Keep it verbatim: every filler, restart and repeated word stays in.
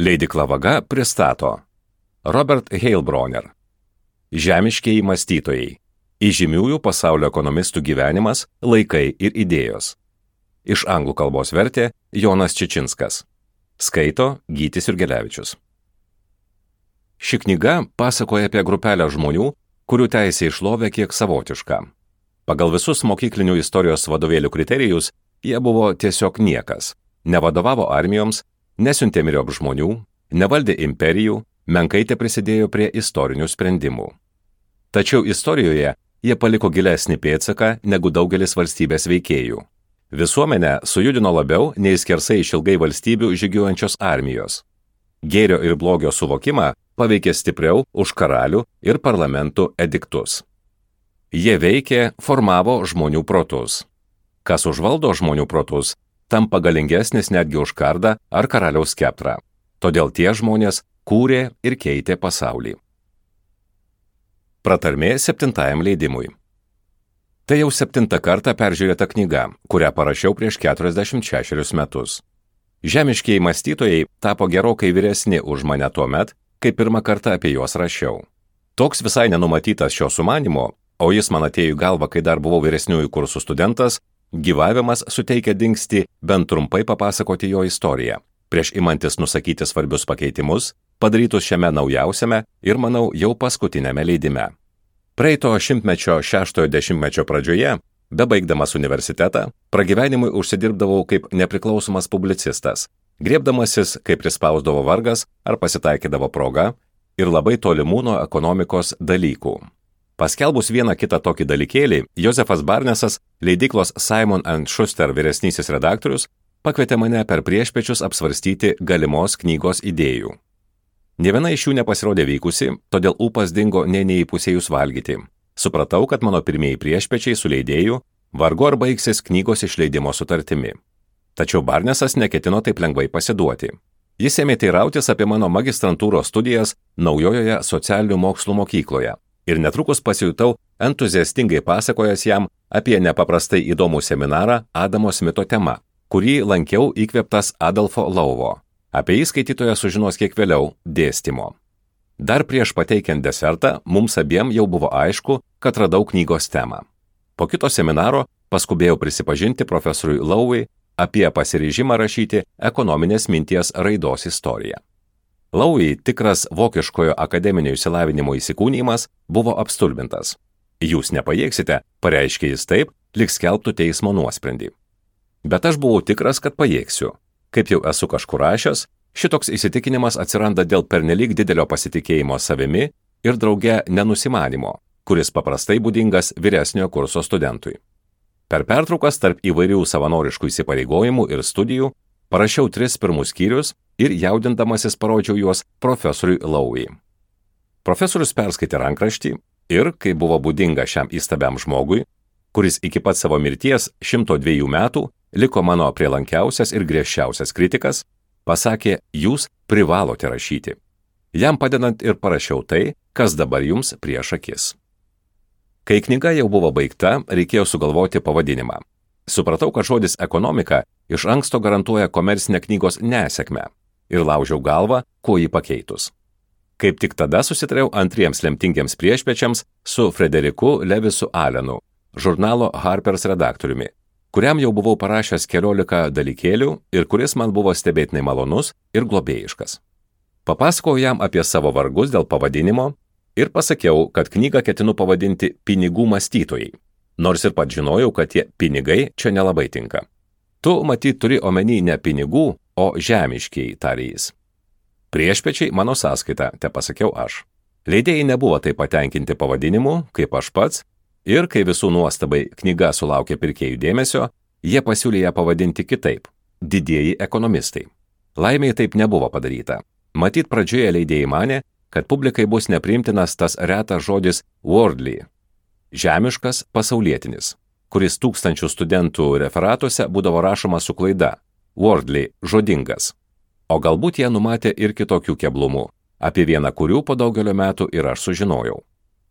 Leidykla Vaga pristato Robert Heilbroner. Žemiškieji mąstytojai. Įžymiųjų pasaulio ekonomistų gyvenimas, laikai ir idėjos. Iš anglų kalbos vertė Jonas Čičinskas. Skaito Gytis Jurgelevičius. Ši knyga pasakoja apie grupelę žmonių, kurių teisė į šlovę kiek savotiška. Pagal visus mokyklinių istorijos vadovėlių kriterijus, jie buvo tiesiog niekas. Nevadovavo armijoms, nesiuntė myriop žmonių, nevaldė imperijų, menkai te prisidėjo prie istorinių sprendimų. Tačiau istorijoje jie paliko gilesnį pėdsaką negu daugelis valstybės veikėjų. Visuomenę sujudino labiau nei skersai išilgai valstybių žygiuojančios armijos. Gėrio ir blogio suvokimą paveikė stipriau už karalių ir parlamentų ediktus. Jie veikė, formavo žmonių protus. Kas užvaldo žmonių protus, tampa galingesnis netgi už kardą ar karaliaus skeptrą. Todėl tie žmonės kūrė ir keitė pasaulį. Pratarmė septintajam leidimui. Tai jau septintą kartą peržiūrėta knyga, kurią parašiau prieš keturiasdešimt šešerius metus. Žemiškieji mąstytojai tapo gerokai vyresni už mane tuo met, kai pirmą kartą apie juos rašiau. Toks visai nenumatytas šio sumanimo, o jis man atėjo į galvą, kai dar buvau vyresniųjų kursų studentas, gyvavimas suteikia dingstį bent trumpai papasakoti jo istoriją, prieš imantis nusakyti svarbius pakeitimus, padarytus šiame naujausiame ir, manau, jau paskutinėme leidime. Praeito šimtmečio šeštojo dešimtmečio pradžioje, bebaigdamas universitetą, pragyvenimui užsidirbdavau kaip nepriklausomas publicistas, griebdamasis, kaip prispausdavo vargas ar pasitaikydavo proga, ir labai tolimų nuo ekonomikos dalykų. Paskelbus vieną kitą tokį dalykėlį, Josefas Barnesas, leidyklos Simon and Schuster vyresnysis redaktorius, pakvietė mane per priešpečius apsvarstyti galimos knygos idėjų. Nė viena iš jų nepasirodė vykusi, todėl ūpas dingo nė neįpusėjus valgyti. Supratau, kad mano pirmieji priešpečiai su leidėju vargu ar baigsis knygos išleidimo sutartimi. Tačiau Barnesas neketino taip lengvai pasiduoti. Jis ėmė teirautis apie mano magistrantūros studijas naujojoje socialinių mokslų mokykloje. Ir netrukus pasijutau entuziastingai pasakojęs jam apie nepaprastai įdomų seminarą Adamo Smito tema, kurį lankiau įkvėptas Adolfo Lauvo. Apie jį skaitytojas sužinos kiek vėliau dėstymo. Dar prieš pateikiant desertą, mums abiem jau buvo aišku, kad radau knygos temą. Po kito seminaro paskubėjau prisipažinti profesoriui Lauvui apie pasiryžimą rašyti ekonominės minties raidos istoriją. Laui, tikras vokiškojo akademinio išsilavinimo įsikūnijimas, buvo apstulbintas. Jūs nepajėgsite, pareiškė jis taip, lyg skelbtų teismo nuosprendį. Bet aš buvau tikras, kad pajėgsiu. Kaip jau esu kažkur rašęs, šitoks įsitikinimas atsiranda dėl pernelyg didelio pasitikėjimo savimi ir drauge nenusimanimo, kuris paprastai būdingas vyresniojo kurso studentui. Per pertraukas tarp įvairių savanoriškų įsipareigojimų ir studijų parašiau tris pirmus skyrius ir jaudindamasis parodžiau juos profesoriui Laui. Profesorius perskaitė rankraštį ir, kai buvo būdinga šiam įstabiam žmogui, kuris iki pat savo mirties šimto dviejų metų liko mano prielankiausias ir griežčiausias kritikas, pasakė, jūs privalote rašyti. Jam padedant ir parašiau tai, kas dabar jums prieš akis. Kai knyga jau buvo baigta, reikėjo sugalvoti pavadinimą. Supratau, kad žodis ekonomika iš anksto garantuoja komercinę knygos nesėkmę ir laužiau galvą, kuo jį pakeitus. Kaip tik tada susitariau antriems lemtingiems priešpečiams su Frederiku Levisu Allenu, žurnalo Harper's redaktoriumi, kuriam jau buvau parašęs keliolika dalykėlių ir kuris man buvo stebėtinai malonus ir globėjiškas. Papasakojau jam apie savo vargus dėl pavadinimo ir pasakiau, kad knygą ketinu pavadinti Pinigų mąstytojai. Nors ir pat žinojau, kad tie pinigai čia nelabai tinka. Tu, matyt, turi omeny ne pinigų, o žemiškiai, tarė jis. Priešpečiai mano sąskaita, te pasakiau aš. Leidėjai nebuvo taip patenkinti pavadinimu, kaip aš pats, ir kai visų nuostabai knyga sulaukė pirkėjų dėmesio, jie pasiūlė ją pavadinti kitaip – Didieji ekonomistai. Laimei taip nebuvo padaryta. Matyt, pradžioje leidėjai manė, kad publikai bus nepriimtinas tas retas žodis worldly. Žemiškas pasaulietinis, kuris tūkstančių studentų referatuose būdavo rašoma su klaida, worldly žodingas. O galbūt jie numatė ir kitokių keblumų, apie vieną kurių po daugelio metų ir aš sužinojau.